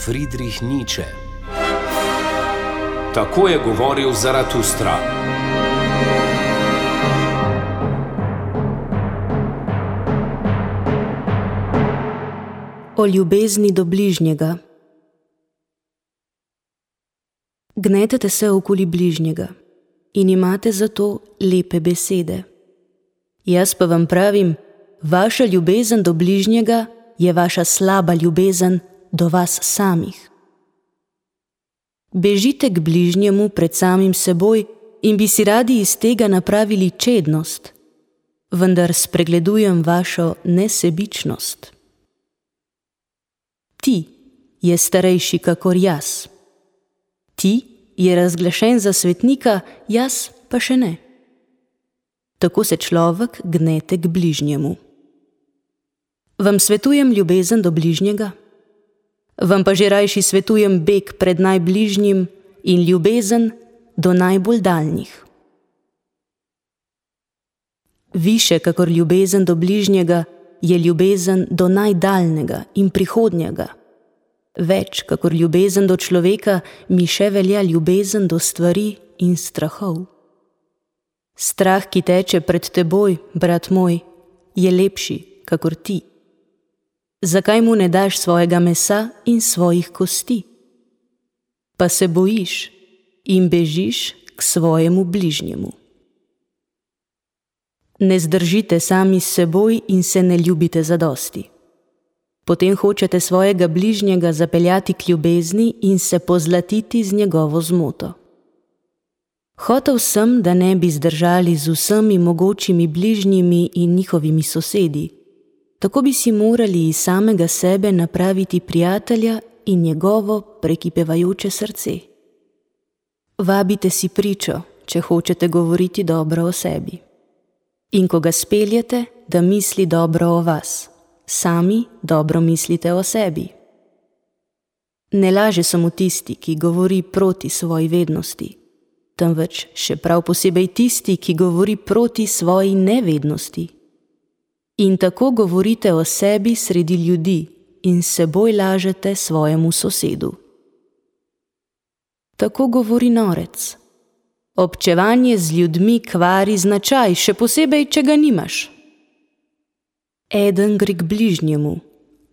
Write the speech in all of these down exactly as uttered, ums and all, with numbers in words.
Friedrich Nietzsche. Tako je govoril Zaratustra. O ljubezni do bližnjega. Gnetete se okoli bližnjega in imate zato lepe besede. Jaz pa vam pravim, vaša ljubezen do bližnjega je vaša slaba ljubezen do vas samih. Bežite k bližnjemu pred samim seboj in bi si radi iz tega napravili čednost, vendar spregledujem vašo nesebičnost. Ti je starejši kakor jaz. Ti je razglašen za svetnika, jaz pa še ne. Tako se človek gnete k bližnjemu. Vam svetujem ljubezen do bližnjega? Vam pa že rajši svetujem beg pred najbližnjim in ljubezen do najbolj daljnih. Više kakor ljubezen do bližnjega je ljubezen do najdaljnega in prihodnjega. Več kakor ljubezen do človeka mi še velja ljubezen do stvari in strahov. Strah, ki teče pred teboj, brat moj, je lepši kakor ti. Zakaj mu ne daš svojega mesa in svojih kosti? Pa se bojiš in bežiš k svojemu bližnjemu. Ne zdržite sami s seboj in se ne ljubite zadosti. Potem hočete svojega bližnjega zapeljati k ljubezni in se pozlatiti z njegovo zmoto. Hotel sem, da ne bi zdržali z vsemi mogočimi bližnjimi in njihovimi sosedi. Tako bi si morali iz samega sebe napraviti prijatelja in njegovo prekipevajoče srce. Vabite si pričo, če hočete govoriti dobro o sebi. In ko ga speljete, da misli dobro o vas, sami dobro mislite o sebi. Ne laže samo tisti, ki govori proti svoji vednosti, temveč še prav posebej tisti, ki govori proti svoji nevednosti. In tako govorite o sebi sredi ljudi in seboj lažete svojemu sosedu. Tako govori norec. Občevanje z ljudmi kvari značaj, še posebej, če ga nimaš. Eden gre k bližnjemu,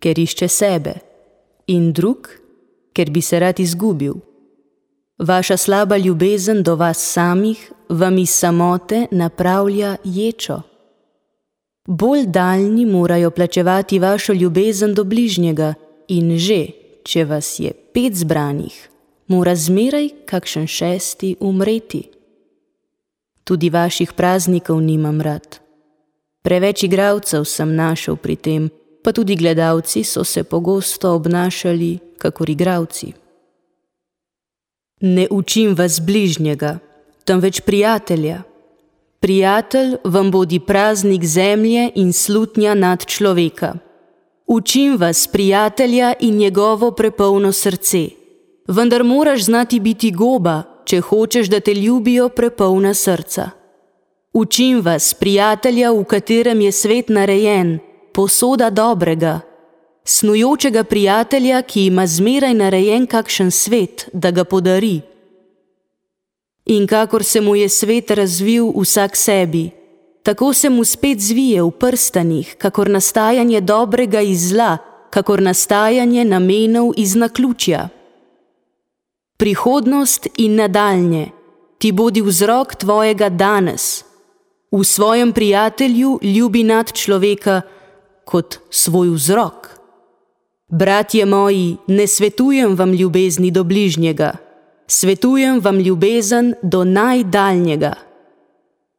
ker išče sebe, in drug, ker bi se rad izgubil. Vaša slaba ljubezen do vas samih vam iz samote napravlja ječo. Bolj daljni morajo plačevati vašo ljubezen do bližnjega in že, če vas je pet zbranih, mora zmeraj kakšen šesti umreti. Tudi vaših praznikov nimam rad. Preveč igralcev sem našel pri tem, pa tudi gledalci so se pogosto obnašali kakor igralci. Ne učim vas bližnjega, temveč prijatelja. Prijatelj vam bodi praznik zemlje in slutnja nad človeka. Učim vas prijatelja in njegovo prepolno srce. Vendar moraš znati biti goba, če hočeš, da te ljubijo prepolna srca. Učim vas prijatelja, v katerem je svet narejen, posoda dobrega. Snujočega prijatelja, ki ima zmeraj narejen kakšen svet, da ga podari. In kakor se mu je svet razvil vsak sebi, tako se mu spet zvije v prstanih, kakor nastajanje dobrega iz zla, kakor nastajanje namenov iz naključja. Prihodnost in nadaljnje ti bodi vzrok tvojega danes. V svojem prijatelju ljubi nad človeka kot svoj vzrok. Bratje moji, ne svetujem vam ljubezni do bližnjega, svetujem vam ljubezen do najdaljnjega.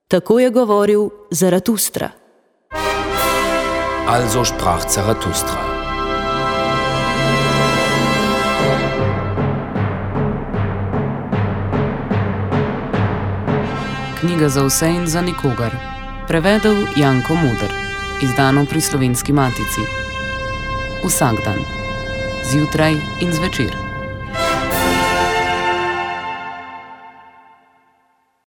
Tako je govoril Zaratustra. Also sprach Zaratustra. Knjiga za vse in za nikogar. Prevedel Janko Muder. Izdano pri Slovenski matici. Vsak dan. Zjutraj in zvečer.